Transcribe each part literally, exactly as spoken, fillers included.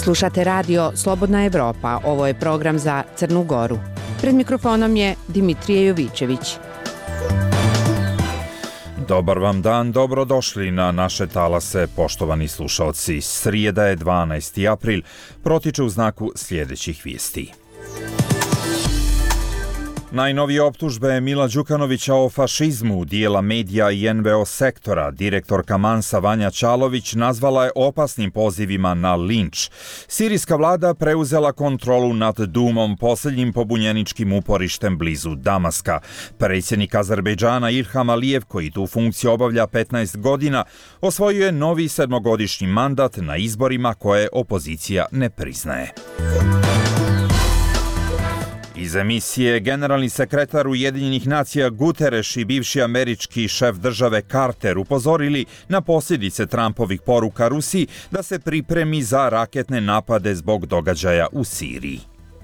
Slušate radio Slobodna Evropa, ovo je program za Crnu Goru. Pred mikrofonom je Dimitrije Jovićević. Dobar vam dan, dobrodošli na naše talase, poštovani slušalci. Srijeda je dvanaesti april, protiče u znaku sljedećih vijesti. Najnovije optužbe Mila Đukanovića o fašizmu dijela medija i en ve o sektora direktorka Mansa Vanja Čalović nazvala je opasnim pozivima na linč. Sirijska vlada preuzela kontrolu nad Dumom, posljednjim pobunjeničkim uporištem blizu Damaska. Predsjednik Azerbejdžana Ilham Alijev, koji tu funkciju obavlja petnaest godina, osvojio je novi sedmogodišnji mandat na izborima koje opozicija ne priznaje. Iz emisije generalni sekretar Ujedinjenih nacija Guterres i bivši američki šef države Carter upozorili na posljedice Trumpovih poruka Rusiji da se pripremi za raketne napade zbog događaja u Siriji.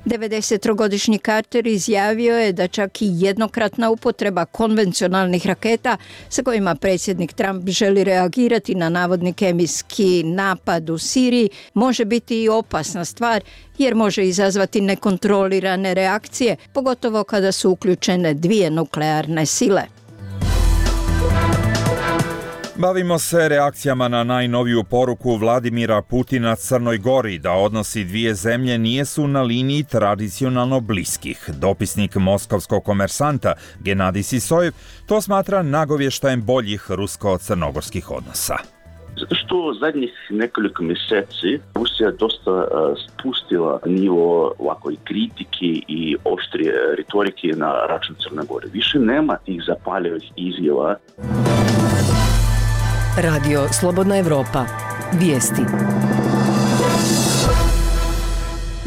devedesettrogodišnji Carter izjavio je da čak i jednokratna upotreba konvencionalnih raketa sa kojima predsjednik Trump želi reagirati na navodni kemijski napad u Siriji može biti i opasna stvar jer može izazvati nekontrolirane reakcije, pogotovo kada su uključene dvije nuklearne sile. Bavimo se reakcijama na najnoviju poruku Vladimira Putina Crnoj Gori da odnosi dvije zemlje nijesu na liniji tradicionalno bliskih. Dopisnik moskovskog komersanta Genadij Sisojev to smatra nagovještajem boljih rusko-crnogorskih odnosa. Zato što zadnjih nekoliko mjeseci Rusija dosta uh, spustila nivo ovako i kritike i oštrije retorike na račun Crne Gore. Više nema tih zapaljivih izjava. Radio Slobodna Evropa. Vijesti.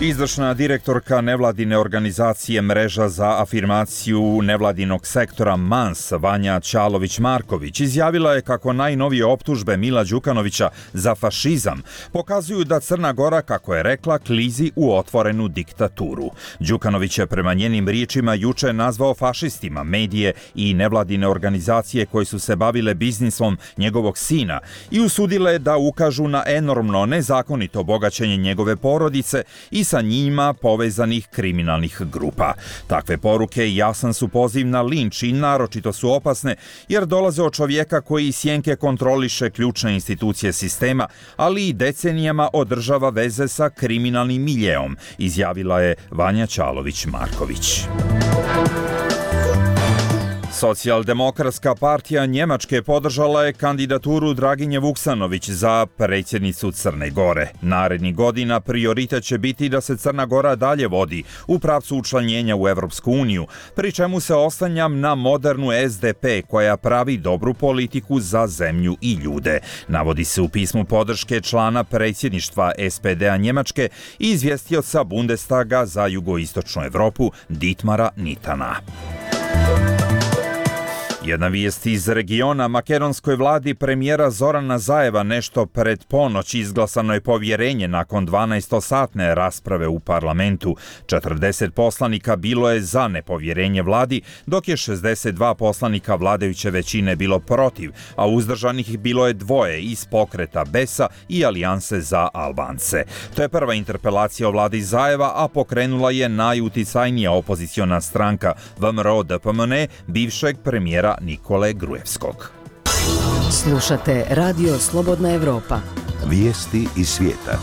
Izvršna direktorka nevladine organizacije Mreža za afirmaciju nevladinog sektora Mans Vanja Čalović-Marković izjavila je kako najnovije optužbe Mila Đukanovića za fašizam pokazuju da Crna Gora, kako je rekla, klizi u otvorenu diktaturu. Đukanović je prema njenim riječima juče nazvao fašistima medije i nevladine organizacije koje su se bavile biznisom njegovog sina i usudile da ukažu na enormno nezakonito bogaćenje njegove porodice i sa njima povezanih kriminalnih grupa. Takve poruke jasan su poziv na linč i naročito su opasne jer dolaze od čovjeka koji sjenke kontroliše ključne institucije sistema, ali i decenijama održava veze sa kriminalnim miljeom, izjavila je Vanja Čalović-Marković. Socijaldemokratska partija Njemačke podržala je kandidaturu Draginje Vuksanović za predsjednicu Crne Gore. Narednih godina prioritet će biti da se Crna Gora dalje vodi u pravcu učlanjenja u Evropsku uniju, pri čemu se oslanjam na modernu es de pe koja pravi dobru politiku za zemlju i ljude. Navodi se u pismu podrške člana predsjedništva es pe de a Njemačke i izvjestioca Bundestaga za jugoistočnu Evropu Dietmara Nitana. Jedna vijest iz regiona. Makedonskoj vladi premijera Zorana Zajeva nešto pred ponoć izglasano je povjerenje nakon dvanaestosatne rasprave u parlamentu. četrdeset poslanika bilo je za nepovjerenje vladi, dok je šezdeset dva poslanika vladajuće većine bilo protiv, a uzdržanih bilo je dvoje iz pokreta Besa i Alijanse za Albance. To je prva interpelacija o vladi Zajeva, a pokrenula je najuticajnija opoziciona stranka V M R O D P M N, bivšeg premijera Nikole Grujevskog. Slušate Radio Slobodna Evropa. Vijesti iz svijeta.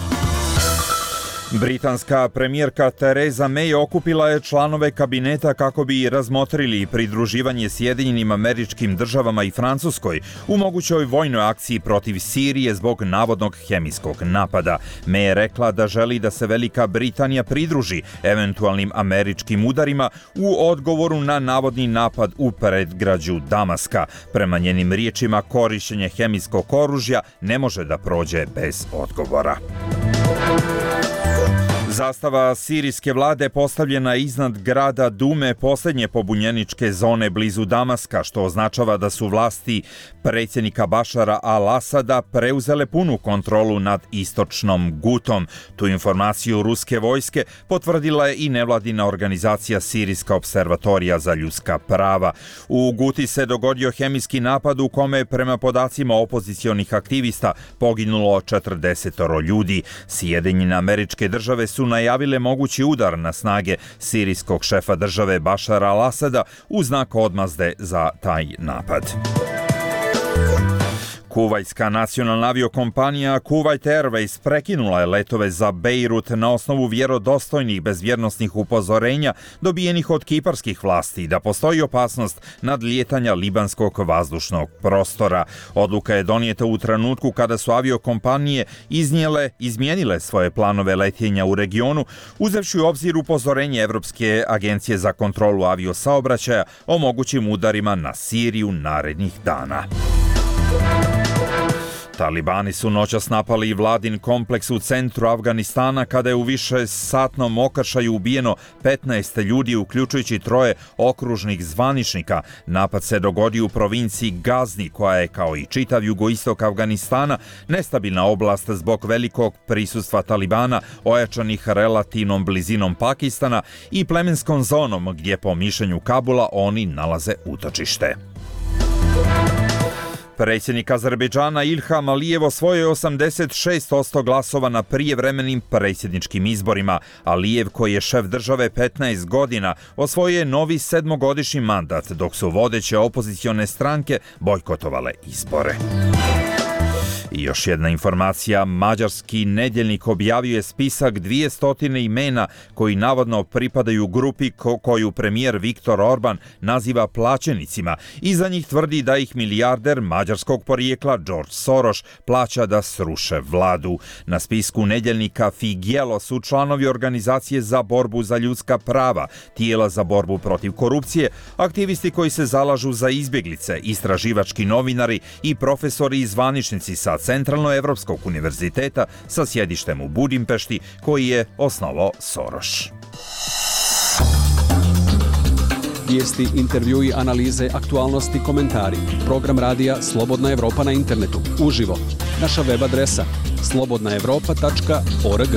Britanska premijerka Theresa May okupila je članove kabineta kako bi razmotrili pridruživanje Sjedinjenim Američkim Državama i Francuskoj u mogućoj vojnoj akciji protiv Sirije zbog navodnog hemijskog napada. May je rekla da želi da se Velika Britanija pridruži eventualnim američkim udarima u odgovoru na navodni napad u predgrađu Damaska. Prema njenim riječima, korištenje hemijskog oružja ne može da prođe bez odgovora. Zastava sirijske vlade postavljena iznad grada Dume, posljednje pobunjeničke zone blizu Damaska, što označava da su vlasti predsjednika Bašara al-Asada preuzele punu kontrolu nad istočnom Gutom. Tu informaciju ruske vojske potvrdila je i nevladina organizacija Sirijska observatorija za ljudska prava. U Guti se dogodio hemijski napad u kome je prema podacima opozicionih aktivista poginulo četrdeset ljudi. Sjedinjene Američke Države su najavile mogući udar na snage sirijskog šefa države Bašara al-Asada u znak odmazde za taj napad. Kuvajtska nacionalna aviokompanija Kuwait Airways prekinula je letove za Bejrut na osnovu vjerodostojnih bezbjednosnih upozorenja dobijenih od kiparskih vlasti da postoji opasnost nadlijetanja libanskog vazdušnog prostora. Odluka je donijeta u trenutku kada su aviokompanije iznijele, izmijenile svoje planove letenja u regionu, uzevši u obzir upozorenje Evropske agencije za kontrolu aviosaobraćaja o mogućim udarima na Siriju narednih dana. Talibani su noćas napali i vladin kompleks u centru Afganistana kada je u višesatnom okršaju ubijeno petnaest ljudi, uključujući troje okružnih zvaničnika. Napad se dogodio u provinciji Gazni, koja je, kao i čitav jugoistok Afganistana, nestabilna oblast zbog velikog prisustva Talibana, ojačanih relativnom blizinom Pakistana i plemenskom zonom gdje, po mišljenju Kabula, oni nalaze utočište. Predsjednik Azerbejdžana Ilham Alijev osvojio je osamdeset šest posto glasova na prijevremenim predsjedničkim izborima. Alijev, koji je šef države petnaest godina, osvojio je novi sedmogodišnji mandat, dok su vodeće opozicione stranke bojkotovale izbore. I još jedna informacija, mađarski nedjeljnik objavio je spisak dvjesto imena koji navodno pripadaju grupi ko- koju premijer Viktor Orban naziva plaćenicima i za njih tvrdi da ih milijarder mađarskog porijekla George Soros plaća da sruše vladu. Na spisku nedjeljnika Figelo su članovi organizacije za borbu za ljudska prava, tijela za borbu protiv korupcije, aktivisti koji se zalažu za izbjeglice, istraživački novinari i profesori i zvaničnici sa Centralnoevropskog univerziteta sa sjedištem u Budimpešti, koji je osnovao Soros. Vijesti, intervjui, analize, aktualnosti, komentari. Program radija Slobodna Evropa na internetu. Uživo. Naša web adresa slobodna evropa tačka org.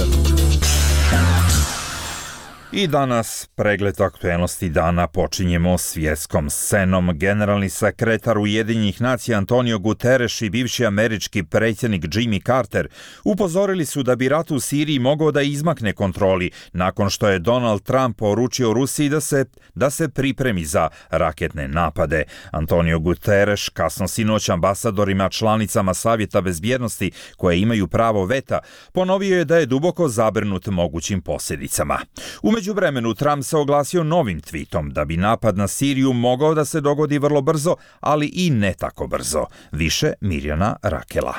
I danas pregled aktuelnosti dana počinjemo svjetskom scenom. Generalni sekretar Ujedinjenih nacija Antonio Guterres i bivši američki predsjednik Jimmy Carter upozorili su da bi rat u Siriji mogao da izmakne kontroli nakon što je Donald Trump poručio Rusiji da se, da se pripremi za raketne napade. Antonio Guterres kasno sinoć ambasadorima članicama Savjeta bezbjednosti koje imaju pravo veta ponovio je da je duboko zabrinut mogućim posljedicama. U međuvremenu Trump se oglasio novim tweetom da bi napad na Siriju mogao da se dogodi vrlo brzo, ali i ne tako brzo. Više Mirjana Rakela.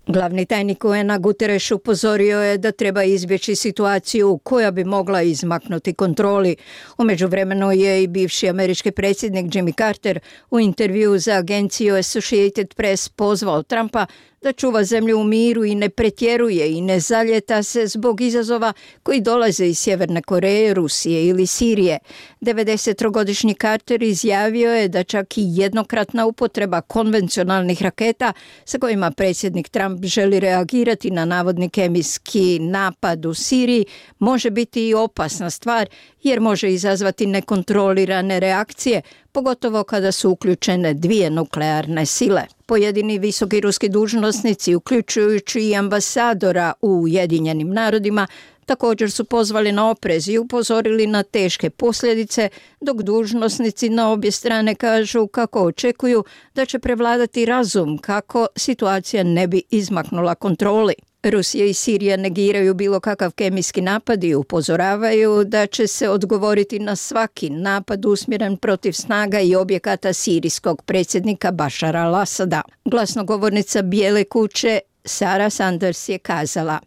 Glavni tajnik U N-a Guterres upozorio je da treba izbjeći situaciju koja bi mogla izmaknuti kontroli. U međuvremenu je i bivši američki predsjednik Jimmy Carter u intervju za agenciju Associated Press pozvao Trumpa da čuva zemlju u miru i ne pretjeruje i ne zaljeta se zbog izazova koji dolaze iz Sjeverne Koreje, Rusije ili Sirije. devedesettrogodišnji Carter izjavio je da čak i jednokratna upotreba konvencionalnih raketa sa kojima predsjednik Trump želi reagirati na navodni kemijski napad u Siriji može biti i opasna stvar jer može izazvati nekontrolirane reakcije, pogotovo kada su uključene dvije nuklearne sile. Pojedini visoki ruski dužnosnici, uključujući i ambasadora u Ujedinjenim narodima, također su pozvali na oprez i upozorili na teške posljedice, dok dužnosnici na obje strane kažu kako očekuju da će prevladati razum kako situacija ne bi izmaknula kontroli. Rusija i Sirija negiraju bilo kakav kemijski napad i upozoravaju da će se odgovoriti na svaki napad usmjeren protiv snaga i objekata sirijskog predsjednika Bašara al-Asada. Glasnogovornica Bijele kuće Sara Sanders je kazala: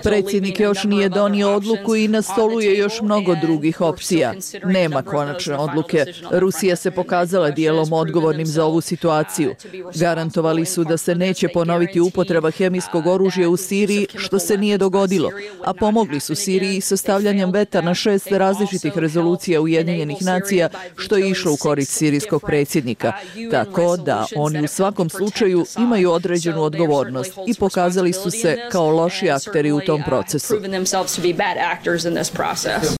Predsjednik još nije donio odluku i na stolu je još mnogo drugih opcija. Nema konačne odluke. Rusija se pokazala dijelom odgovornim za ovu situaciju. Garantovali su da se neće ponoviti upotreba hemijskog oružja u Siriji, što se nije dogodilo, a pomogli su Siriji sa stavljanjem veta na šest različitih rezolucija Ujedinjenih nacija, što je išlo u korist sirijskog predsjednika. Tako da oni u svakom slučaju imaju određenu odgovornost i pokazali su se kao loši akteri u tom procesu.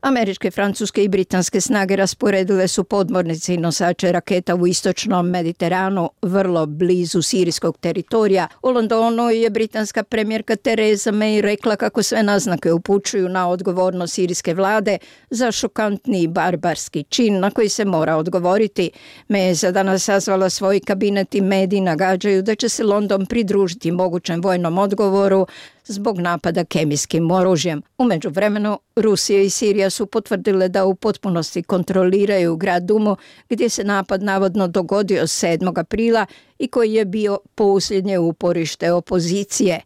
Američke, francuske i britanske snage rasporedile su podmornice i nosače raketa u istočnom Mediteranu, vrlo blizu sirijskog teritorija. U Londonu je britanska premijerka Theresa May rekla kako sve naznake upućuju na odgovornost sirijske vlade za šokantni i barbarski čin na koji se mora odgovoriti. May je za danas sazvala svoj kabinet i mediji nagađaju da će se London pridružiti mogućem vojnom odgovoru zbog napada kemijskim oružjem. U međuvremenu, Rusija i Sirija su potvrdile da u potpunosti kontroliraju grad Dumu, gdje se napad navodno dogodio sedmog aprila i koji je bio posljednje uporište opozicije.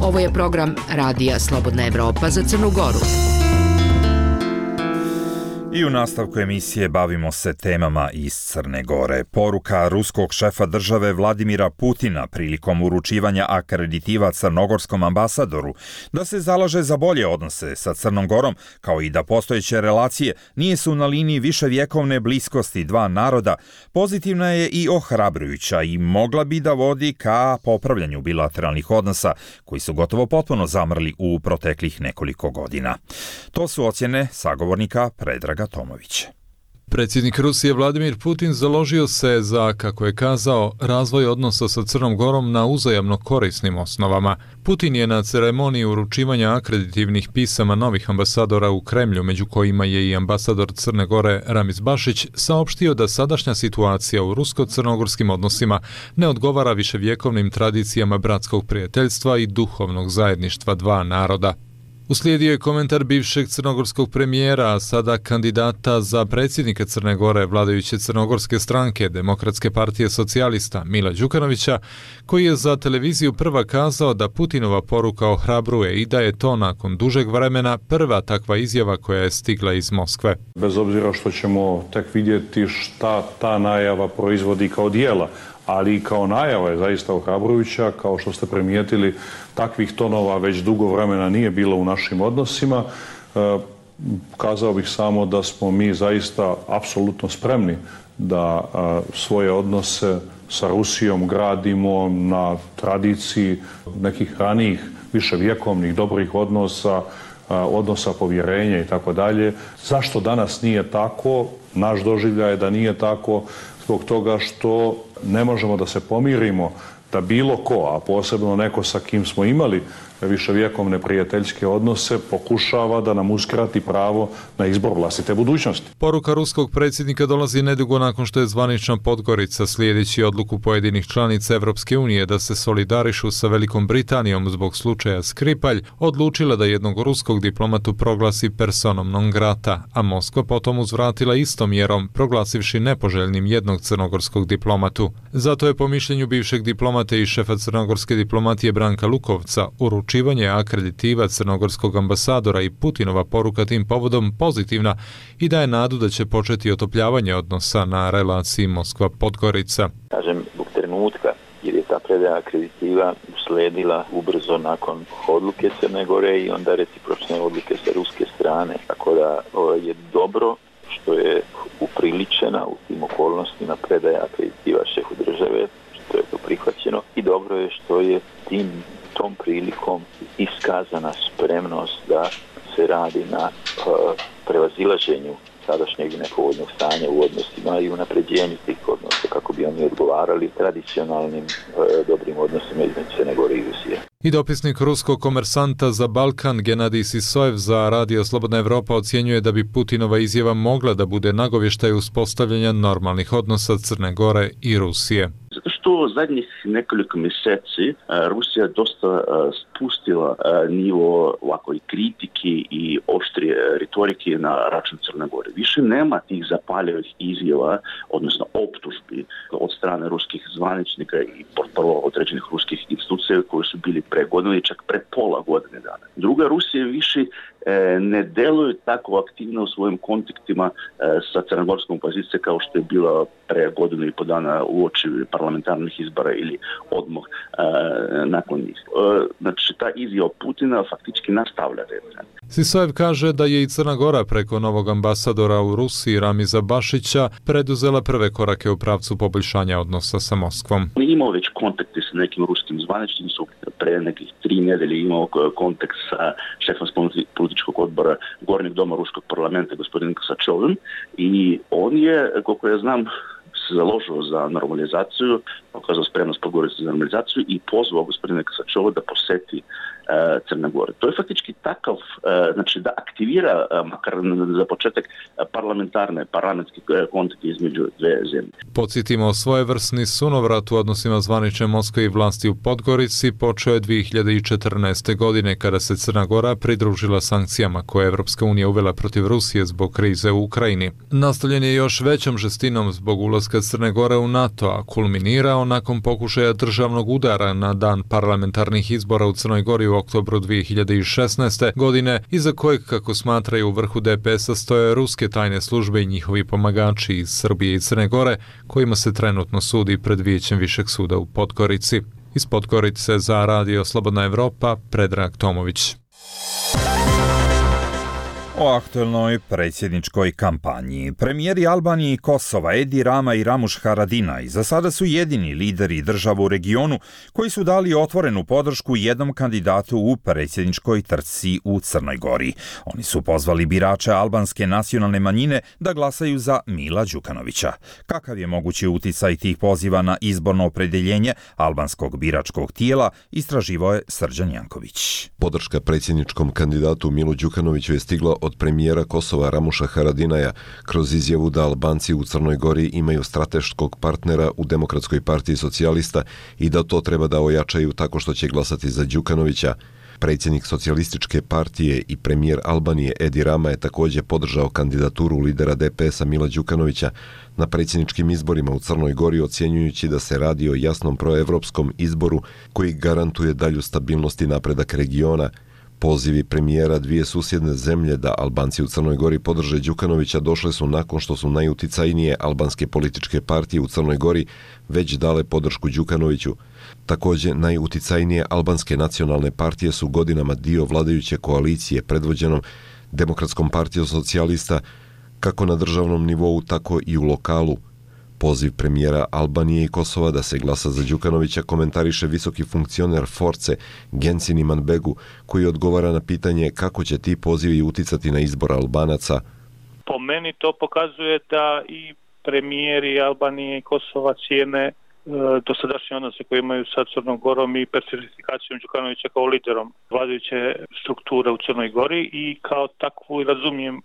Ovo je program Radija Slobodna Evropa za Crnu Goru. I u nastavku emisije bavimo se temama iz Crne Gore. Poruka ruskog šefa države Vladimira Putina prilikom uručivanja akreditiva crnogorskom ambasadoru da se zalaže za bolje odnose sa Crnom Gorom, kao i da postojeće relacije nisu na liniji viševjekovne bliskosti dva naroda, pozitivna je i ohrabrujuća i mogla bi da vodi ka popravljanju bilateralnih odnosa koji su gotovo potpuno zamrli u proteklih nekoliko godina. To su ocjene sagovornika Predraga Tomović. Predsjednik Rusije Vladimir Putin založio se za, kako je kazao, razvoj odnosa sa Crnom Gorom na uzajamno korisnim osnovama. Putin je na ceremoniji uručivanja akreditivnih pisama novih ambasadora u Kremlju, među kojima je i ambasador Crne Gore Ramiz Bašić, saopštio da sadašnja situacija u rusko-crnogorskim odnosima ne odgovara viševjekovnim tradicijama bratskog prijateljstva i duhovnog zajedništva dva naroda. Uslijedio je komentar bivšeg crnogorskog premijera, a sada kandidata za predsjednika Crne Gore vladajuće crnogorske stranke Demokratske partije socijalista Mila Đukanovića, koji je za televiziju Prva kazao da Putinova poruka ohrabruje i da je to nakon dužeg vremena prva takva izjava koja je stigla iz Moskve. Bez obzira što ćemo tek vidjeti šta ta najava proizvodi kao dijela, ali i kao najava je zaista ohrabrujuća, kao što ste primijetili, takvih tonova već dugo vremena nije bilo u našim odnosima. E, kazao bih samo da smo mi zaista apsolutno spremni da a, svoje odnose sa Rusijom gradimo na tradiciji nekih ranijih, viševjekovnih, dobrih odnosa, a, odnosa povjerenja i tako dalje. Zašto danas nije tako? Naš doživljaj je da nije tako zbog toga što ne možemo da se pomirimo da bilo ko, a posebno neko sa kim smo imali viševjekovne prijateljske odnose, pokušava da nam uskrati pravo na izbor vlastite budućnosti. Poruka ruskog predsjednika dolazi nedugo nakon što je zvanična Podgorica, slijedeći odluku pojedinih članica Evropske unije da se solidarišu sa Velikom Britanijom zbog slučaja Skripalj, odlučila da jednog ruskog diplomatu proglasi personom non grata, a Moskva potom uzvratila istom mjerom, proglasivši nepoželjnim jednog crnogorskog diplomatu. Zato je po mišljenju bivšeg diplomate i šefa crnogorske diplomatije Branka Lukovca uručivanje akreditiva crnogorskog ambasadora i Putinova poruka tim povodom pozitivna i daje nadu da će početi otopljavanje odnosa na relaciji Moskva-Podgorica. Kažem, zbog trenutka, jer je ta predaja akreditiva usledila ubrzo nakon odluke Crne Gore i onda recipročne odluke sa ruske strane. Tako da o, je dobro što je upriličena u tim okolnostima predaja akreditiva šefu države, što je to prihvaćeno, i dobro je što je tim tom prilikom iskazana spremnost da se radi na uh, prevazilaženju sadašnjeg nepovoljnog stanja u odnosima i unapređenju tih odnosa kako bi oni odgovarali tradicionalnim uh, dobrim odnosima između Crne Gore i Rusije. I dopisnik ruskog komersanta za Balkan Genadij Sisojev za Radio Slobodna Evropa ocjenjuje da bi Putinova izjava mogla da bude nagovještaj uspostavljanja normalnih odnosa Crne Gore i Rusije. Zato što to zadnjih nekoliko mjeseci Rusija dosta spustila nivo ovako i kritiki i oštrije retorike na račun Crne Gore. Više nema tih zapaljivih izjava, odnosno optužbi od strane ruskih zvaničnika i portparolova određenih ruskih institucija koji su bili pre godine i čak pre pola godine dana. Druga, Rusija više ne deluje tako aktivno u svojim kontaktima sa crnogorskom opozicijom kao što je bila pre godinu i po dana uoči parlamentarnih izbora ili odmah nakon njih. Znači, ta izjava Putina faktički nastavlja retrend. Sisajev kaže da je i Crna Gora preko novog ambasadora u Rusiji Ramiza Bašića preduzela prve korake u pravcu poboljšanja odnosa sa Moskvom. Imao već kontakte sa nekim ruskim zvaničnicima, pre nekih tri nedelje imao kontakt sa šefom političkog odbora Gornjeg doma Ruskog parlamenta, gospodinom Kosačovim, i on je, koliko ja znam, se založio za normalizaciju, pokazao spremnost pogovoriti za normalizaciju i pozvao gospodina Kosačova da poseti uh, Crne Gore. To je faktički takav, uh, znači da aktivira, uh, makar za početak, uh, parlamentarne, parlamentske kontakte između dve zemlje. Podsjetimo, svojevrsni sunovrat u odnosima zvanične Moskve i vlasti u Podgorici počeo je dvije hiljade četrnaeste. godine kada se Crna Gora pridružila sankcijama koje je Evropska unija uvela protiv Rusije zbog krize u Ukrajini. Nastavljen je još većom žestinom zbog ulaska Crne Gore u NATO, a kulminirao nakon pokušaja državnog udara na dan parlamentarnih izbora u Crnoj Gori u oktobru dvije hiljade šesnaeste. godine, iza kojeg, kako smatraju u vrhu D P S-a, stoje ruske tajne službe i njihovi pomagači iz Srbije i Crne Gore, kojima se trenutno sudi pred Vijećem Višeg suda u Podgorici. Iz Podgorice za Radio Slobodna Evropa, Predrag Tomović. O aktuelnoj predsjedničkoj kampanji. Premijeri Albanije i Kosova Edi Rama i Ramuš Haradinaj za sada su jedini lideri država u regionu koji su dali otvorenu podršku jednom kandidatu u predsjedničkoj trci u Crnoj Gori. Oni su pozvali birače albanske nacionalne manjine da glasaju za Mila Đukanovića. Kakav je mogući uticaj tih poziva na izborno opredeljenje albanskog biračkog tijela, istraživao je Srđan Janković. Podrška predsjedničkom kandidatu Milu Đukanoviću je stigla od premijera Kosova Ramuša Haradinaja kroz izjavu da Albanci u Crnoj Gori imaju strateškog partnera u Demokratskoj partiji socijalista i da to treba da ojačaju tako što će glasati za Đukanovića. Predsjednik socijalističke partije i premijer Albanije Edi Rama je također podržao kandidaturu lidera D P S-a Mila Đukanovića na predsjedničkim izborima u Crnoj Gori, ocjenjujući da se radi o jasnom proevropskom izboru koji garantuje dalju stabilnost i napredak regiona. Pozivi premijera dvije susjedne zemlje da Albanci u Crnoj Gori podrže Đukanovića došle su nakon što su najuticajnije albanske političke partije u Crnoj Gori već dale podršku Đukanoviću. Također, najuticajnije albanske nacionalne partije su godinama dio vladajuće koalicije predvođenom Demokratskom partijom socijalista kako na državnom nivou, tako i u lokalu. Poziv premijera Albanije i Kosova da se glasa za Đukanovića komentariše visoki funkcioner Force Gensin Imanbegu, koji odgovara na pitanje kako će ti pozivi uticati na izbor Albanaca. Po meni to pokazuje da i premijeri Albanije i Kosova cijene e, dosadašnje odnose koje imaju sa Crnom Gorom i personifikacijom Đukanovića kao liderom vladajuće strukture u Crnoj Gori i kao takvu razumijem e,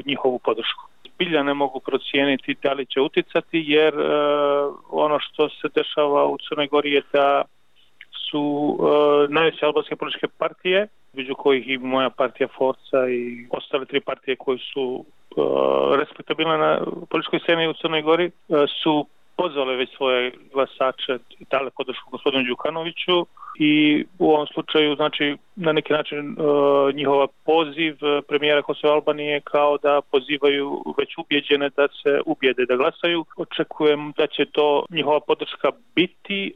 njihovu podršku. Bilja ne mogu procijeniti da li će uticati, jer e, ono što se dešava u Crnoj Gori je da su e, najveće albanske političke partije, među kojih i moja partija Forca i ostale tri partije koje su e, respektabilne na političkoj sceni u Crnoj Gori, e, su pozvale već svoje glasače i dale podršku gospodinu Đukanoviću i u ovom slučaju, znači, na neki način e, njihova poziv premijera Kosova i Albanije kao da pozivaju već ubjeđene da se ubijede da glasaju. Očekujem da će to njihova podrška biti e,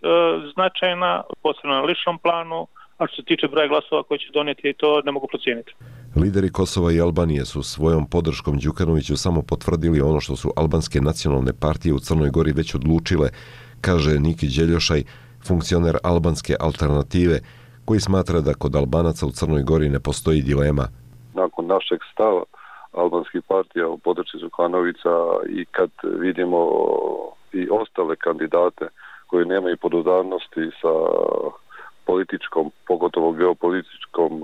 značajna, posebno na ličnom planu, a što se tiče broja glasova koji će donijeti, to ne mogu procijeniti. Lideri Kosova i Albanije su svojom podrškom Đukanoviću samo potvrdili ono što su albanske nacionalne partije u Crnoj Gori već odlučile, kaže Niki Đeljošaj, funkcioner albanske alternative, koji smatra da kod Albanaca u Crnoj Gori ne postoji dilema. Nakon našeg stava albanskih partija u podršci Đukanovića i kad vidimo i ostale kandidate koji nemaju podudarnosti sa političkom, pogotovo geopolitičkom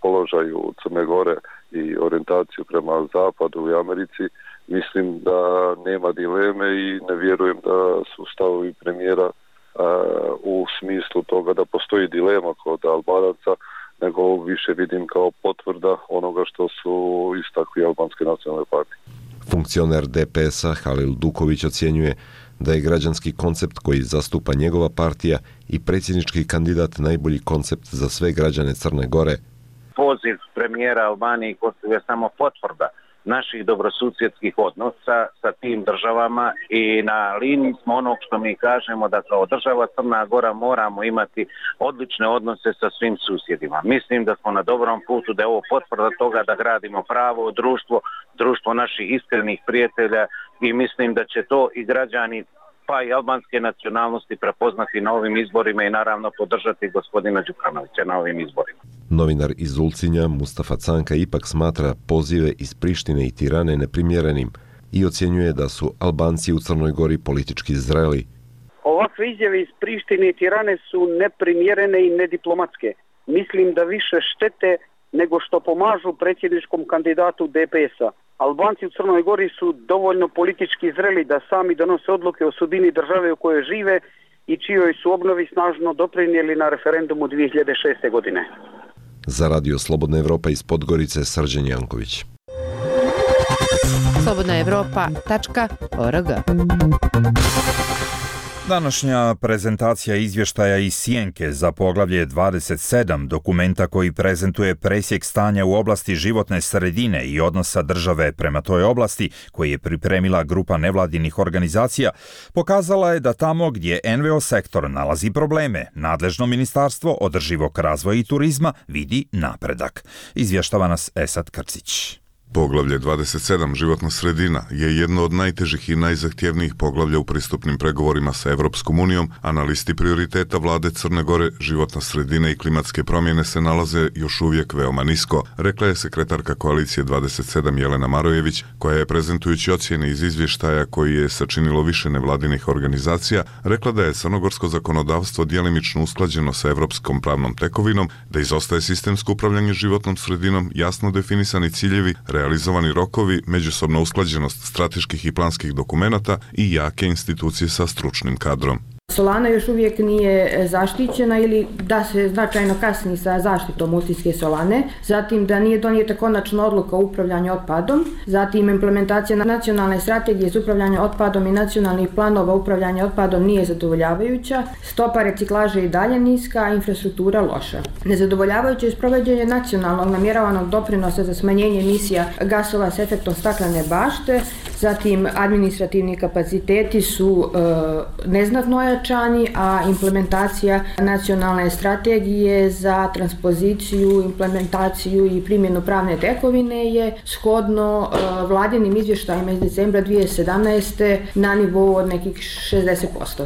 položaju Crne Gore i orijentaciju prema Zapadu i Americi, mislim da nema dileme i ne vjerujem da su stavovi premijera u smislu toga da postoji dilema kod Albanaca, nego više vidim kao potvrda onoga što su istakli albanske nacionalne partije. Funkcioner D P S-a Halil Duković ocjenjuje da je građanski koncept koji zastupa njegova partija i predsjednički kandidat najbolji koncept za sve građane Crne Gore. Poziv premijera Albanije i Kosova je samo potvrda naših dobrosusjedskih odnosa sa tim državama i na liniji smo onog što mi kažemo da kao država Crna Gora moramo imati odlične odnose sa svim susjedima. Mislim da smo na dobrom putu, da je ovo potvrda toga da gradimo pravo društvo, društvo naših iskrenih prijatelja i mislim da će to i građani pa i albanske nacionalnosti prepoznati na ovim izborima i naravno podržati gospodina Đukanovića na ovim izborima. Novinar iz Ulcinja Mustafa Canka ipak smatra pozive iz Prištine i Tirane neprimjerenim i ocjenjuje da su Albanci u Crnoj Gori politički zreli. Ovakve izjave iz Prištine i Tirane su neprimjerene i nediplomatske. Mislim da više štete nego što pomažu predsjedničkom kandidatu D P S-a. Albanci u Crnoj Gori su dovoljno politički zreli da sami donose odluke o sudbini države u kojoj žive i čijoj su obnovi snažno doprinijeli na referendumu dvije hiljade šeste. godine. Za Radio Slobodna Evropa iz Podgorice, Srđan Janković. slobodna evropa tačka org. Današnja prezentacija izvještaja iz Sjenke za poglavlje dvadeset sedam, dokumenta koji prezentuje presjek stanja u oblasti životne sredine i odnosa države prema toj oblasti, koji je pripremila grupa nevladinih organizacija, pokazala je da tamo gdje N V O sektor nalazi probleme, nadležno ministarstvo održivog razvoja i turizma vidi napredak. Izvještava nas Esad Krcić. Poglavlje dvadeset sedam životna sredina je jedno od najtežih i najzahtjevnijih poglavlja u pristupnim pregovorima sa Evropskom unijom, a na listi prioriteta vlade Crne Gore životna sredina i klimatske promjene se nalaze još uvijek veoma nisko, rekla je sekretarka koalicije dvadeset sedam Jelena Marojević, koja je prezentujući ocjene iz izvještaja koji je sačinilo više nevladinih organizacija, rekla da je crnogorsko zakonodavstvo djelimično usklađeno sa evropskom pravnom tekovinom, da izostaje sistemsko upravljanje životnom sredinom, jasno definisani ciljevi, realizovani rokovi, međusobna usklađenost strateških i planskih dokumenata i jake institucije sa stručnim kadrom. Solana još uvijek nije zaštićena ili da se značajno kasni sa zaštitom Ulcinske solane, zatim da nije donijeta konačna odluka o upravljanju otpadom, zatim implementacija nacionalne strategije za upravljanje otpadom i nacionalnih planova upravljanja otpadom nije zadovoljavajuća, stopa reciklaže i dalje niska, a infrastruktura loša. Nezadovoljavajuće je sprovođenje nacionalnog namjeravanog doprinosa za smanjenje emisija gasova s efektom staklene bašte, zatim administrativni kapaciteti su e, neznatno ojačani, a implementacija nacionalne strategije za transpoziciju, implementaciju i primjenu pravne tekovine je shodno e, vladinim izvještajima iz decembra dvije hiljade sedamnaeste. na nivou od nekih šezdeset posto.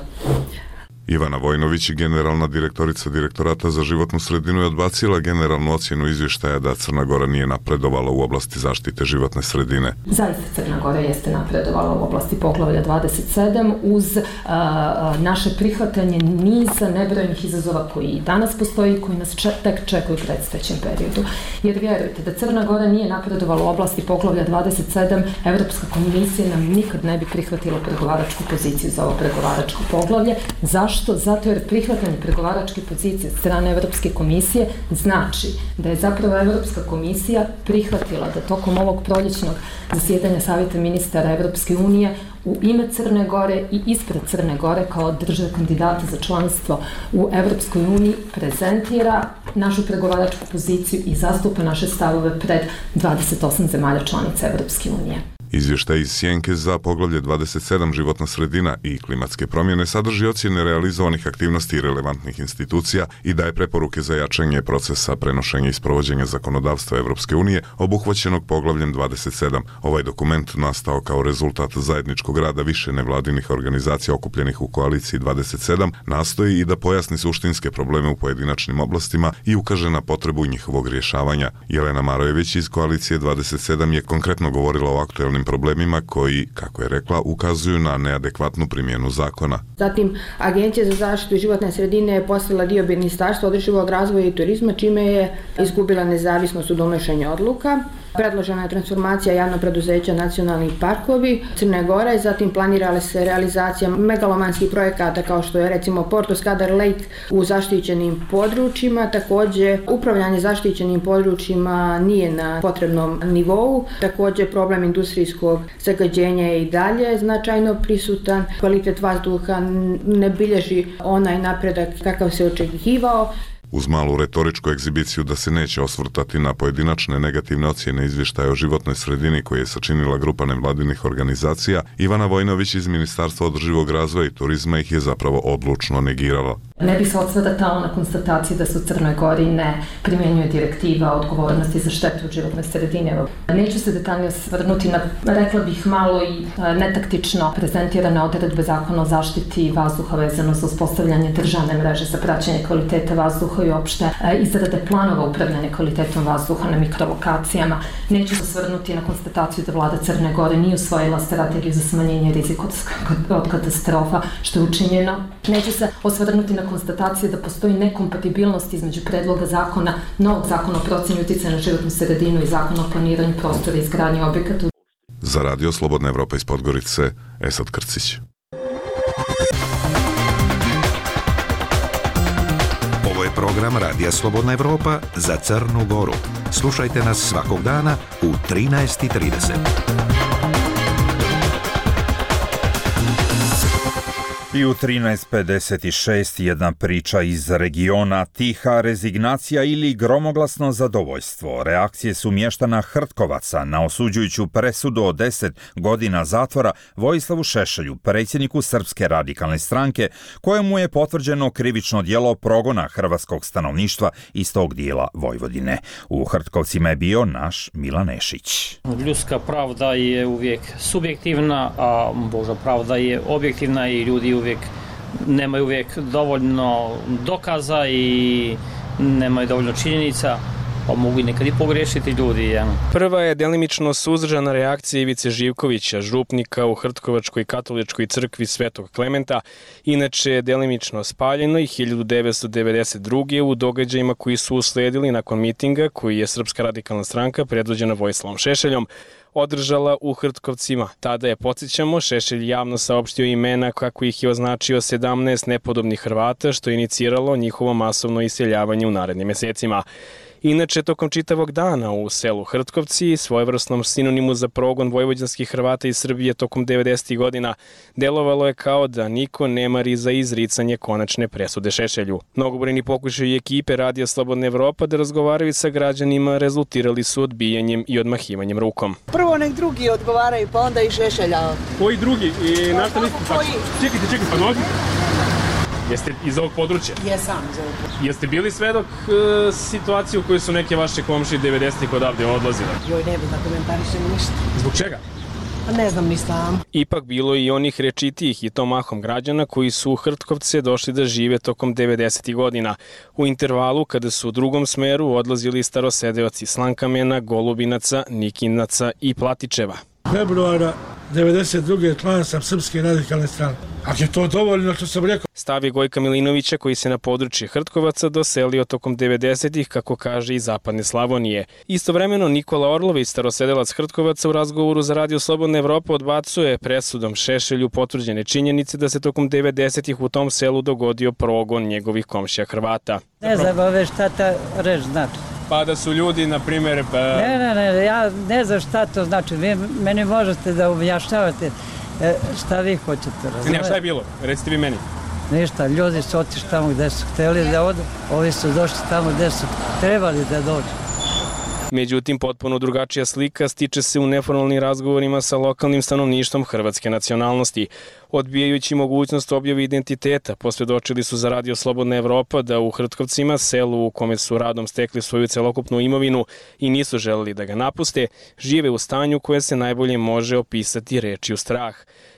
Ivana Vojnović, generalna direktorica Direktorata za životnu sredinu, je odbacila generalnu ocjenu izvještaja da Crna Gora nije napredovala u oblasti zaštite životne sredine. Zaista Crna Gora jeste napredovala u oblasti poglavlja dvadeset sedam uz a, naše prihvatanje niza nebrojnih izazova koji i danas postoji i koji nas če, tek čekaju u predstojećem periodu. Jer vjerujte, da Crna Gora nije napredovala u oblasti poglavlja dvadeset sedam, Evropska komisija nam nikad ne bi prihvatila pregovaračku poziciju za ovo pregovaračko poglavlje. Zašto? Zato jer prihvatanje pregovaračke pozicije od strane Evropske komisije znači da je zapravo Evropska komisija prihvatila da tokom ovog proljećnog zasjedanja Savjeta ministara Evropske unije u ime Crne Gore i ispred Crne Gore kao države kandidata za članstvo u Evropskoj uniji prezentira našu pregovaračku poziciju i zastupa naše stavove pred dvadeset osam zemalja članica Evropske unije. Izvještaj iz Sjenke za poglavlje dvadeset sedam životna sredina i klimatske promjene sadrži ocjene realizovanih aktivnosti i relevantnih institucija i daje preporuke za jačanje procesa prenošenja i sprovođenja zakonodavstva Evropske unije obuhvaćenog poglavljem dvadeset sedam. Ovaj dokument nastao kao rezultat zajedničkog rada više nevladinih organizacija okupljenih u koaliciji dvadeset sedam, nastoji i da pojasni suštinske probleme u pojedinačnim oblastima i ukaže na potrebu njihovog rješavanja. Jelena Marojević iz koalicije dvadeset sedam je konkretno govorila o aktuelnim problemima koji, kako je rekla, ukazuju na neadekvatnu primjenu zakona. Zatim, Agencija za zaštitu životne sredine je postala dio Ministarstva održivog razvoja i turizma, čime je izgubila nezavisnost u donošenju odluka. Predložena je transformacija javnog preduzeća Nacionalni parkovi Crne Gore, zatim planirala se realizacija megalomanskih projekata kao što je recimo Porto Skadar Lake u zaštićenim područjima, također upravljanje zaštićenim područjima nije na potrebnom nivou, također problem industrijskog zagađenja je i dalje značajno prisutan, kvalitet vazduha ne bilježi onaj napredak kakav se očekivao. Uz malu retoričku egzibiciju da se neće osvrtati na pojedinačne negativne ocjene izvještaja o životnoj sredini koje je sačinila grupa nevladinih organizacija, Ivana Vojnović iz Ministarstva održivog razvoja i turizma ih je zapravo odlučno negirala. Ne bi se odsvrtala na konstataciji da se u Crnoj Gori ne primjenjuje direktiva o odgovornosti za štetu u životnoj sredini. Neću se detaljnije osvrnuti na, rekla bih, malo i netaktično prezentirane odredbe Zakona o zaštiti vazduha vezano za uspostavljanje državne mreže za praćenje kvaliteta vazduha i opšte izrade planova upravljanja kvalitetom vazduha na mikrolokacijama. Neću se osvrnuti na konstataciju da vlada Crne Gore nije usvojila strategiju za smanjenje rizika od katastrofa, što je učinjeno. Neću se osvrnuti na konstatacije da postoji nekompatibilnost između predloga zakona, novog zakona o procjeni uticaja na životnu sredinu i zakona o planiranju prostora i izgradnje objekata. Za Radio Slobodna Evropa iz Podgorice, Esad Krcić. Ovo je program Radija Slobodna Evropa za Crnu Goru. Slušajte nas svakog dana u trinaest i trideset. I u trinaest pedeset šest jedna priča iz regiona, tiha rezignacija ili gromoglasno zadovoljstvo. Reakcije su mještana Hrtkovaca na osuđujuću presudu od deset godina zatvora Vojislavu Šešelju, predsjedniku Srpske radikalne stranke, kojemu je potvrđeno krivično djelo progona hrvatskog stanovništva iz tog dijela Vojvodine. U Hrtkovcima je bio naš Milan Nešić. Ljudska pravda je uvijek subjektivna, a Božja pravda je objektivna i ljudi uvijek nemaju uvijek dovoljno dokaza i nemaju dovoljno činjenica, pa mogu i nekad i pogriješiti ljudi. Ja. Prva je delimično suzdržana reakcija Ivice Živkovića, župnika u Hrtkovačkoj katoličkoj crkvi Svetog Klementa, inače je delimično spaljeno i hiljadu devetsto devedeset druge. u događajima koji su usledili nakon mitinga koji je Srpska radikalna stranka predvođena Vojislavom Šešeljom održala u Hrtkovcima. Tada je, podsjećamo, Šešelj javno saopštio imena kako ih je označio sedamnaest nepodobnih Hrvata, što je iniciralo njihovo masovno iseljavanje u narednim mjesecima. Inače, tokom čitavog dana u selu Hrtkovci, svojevrsnom sinonimu za progon vojvođanskih Hrvata iz Srbije tokom devedesetih godina, delovalo je kao da niko ne mari za izricanje konačne presude Šešelju. Mnogobrojni pokušaji ekipe Radija Slobodna Evropa da razgovaraju sa građanima rezultirali su odbijanjem i odmahivanjem rukom. Prvo nek drugi odgovaraju, pa onda i Šešelja. Koji drugi? I na šta niste tako? Čekajte, čekajte, pa nogi. Jeste iz ovog područja? Jesam iz ovog područja. Jeste bili svedok e, situacije u kojoj su neke vaše komšije devedesetih odavde odlazile? Joj, ne bi da komentarišem ništa. Zbog čega? Pa ne znam ništa. Ipak bilo i onih rečitijih i to mahom građana koji su u Hrtkovce došli da žive tokom devedesetih godina. U intervalu kada su u drugom smeru odlazili starosedeoci Slankamena, Golubinaca, Nikinaca i Platičeva. Februara devedeset druge član sam Srpske radikalne stranke. Ako je to dovoljno što sam rekao. Stav je Gojka Milinovića koji se na područje Hrtkovaca doselio tokom devedesetih, kako kaže, iz zapadne Slavonije. Istovremeno Nikola Orlović, starosedelac Hrtkovaca, u razgovoru za Radio Slobodna Evropa odbacuje presudom Šešelju potvrđene činjenice da se tokom devedesetih u tom selu dogodio progon njegovih komšija Hrvata. Ne znam ove šta ta reč znači. Pa da su ljudi, na primjer... Pa... Ne, ne, ne, ja ne znam šta to znači. Vi meni možete da objašnjavate šta vi hoćete razumjeti. Ne, šta je bilo? Recite vi meni. Ništa, ljudi su otišli tamo gde su htjeli da odu, ovi su došli tamo gde su trebali da dođu. Međutim, potpuno drugačija slika stiče se u neformalnim razgovorima sa lokalnim stanovništvom hrvatske nacionalnosti. Odbijajući mogućnost objave identiteta, posvjedočili su za Radio Slobodna Evropa da u Hrtkovcima, selu u kome su radom stekli svoju celokupnu imovinu i nisu želeli da ga napuste, žive u stanju koje se najbolje može opisati rečju strah.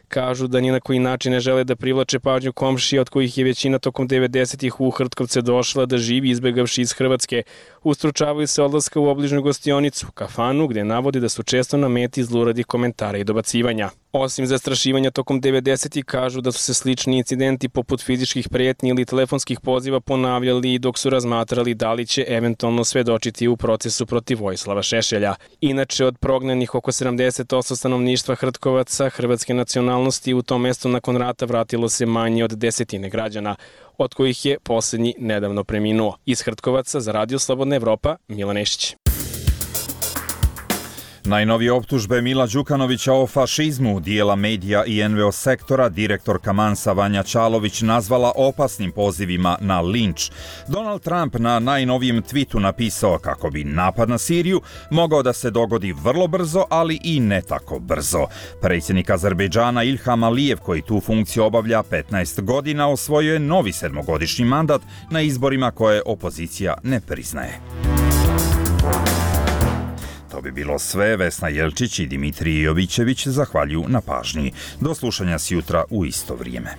Kažu da ni na koji način ne žele da privlače pažnju komšija od kojih je većina tokom devedesetih u Hrtkovce došla da živi izbjegavši iz Hrvatske. Ustručavaju se odlaska u obližnju gostionicu, kafanu, gdje navodi da su često na meti zluradih komentara i dobacivanja. Osim zastrašivanja tokom devedesetih kažu da su se slični incidenti poput fizičkih prijetnji ili telefonskih poziva ponavljali dok su razmatrali da li će eventualno svedočiti u procesu protiv Vojislava Šešelja. Inače, od prognanih oko sedamdeset posto stanovništva Hrtkovaca hrvatske nacionalnosti u tom mestu nakon rata vratilo se manje od desetine građana, od kojih je posljednji nedavno preminuo. Iz Hrtkovaca za Radio Slobodna Evropa, Milan Nešić. Najnovije optužbe Mila Đukanovića o fašizmu dijela medija i en ve o sektora direktorka Mansa Vanja Čalović nazvala opasnim pozivima na linč. Donald Trump na najnovijem twitu napisao kako bi napad na Siriju mogao da se dogodi vrlo brzo, ali i ne tako brzo. Predsjednik Azerbejdžana Ilham Alijev, koji tu funkciju obavlja petnaest godina, osvojio je novi sedmogodišnji mandat na izborima koje opozicija ne priznaje. To bi bilo sve. Vesna Jelčić i Dimitrije Jovićević zahvaljuju na pažnji. Do slušanja sjutra u isto vrijeme.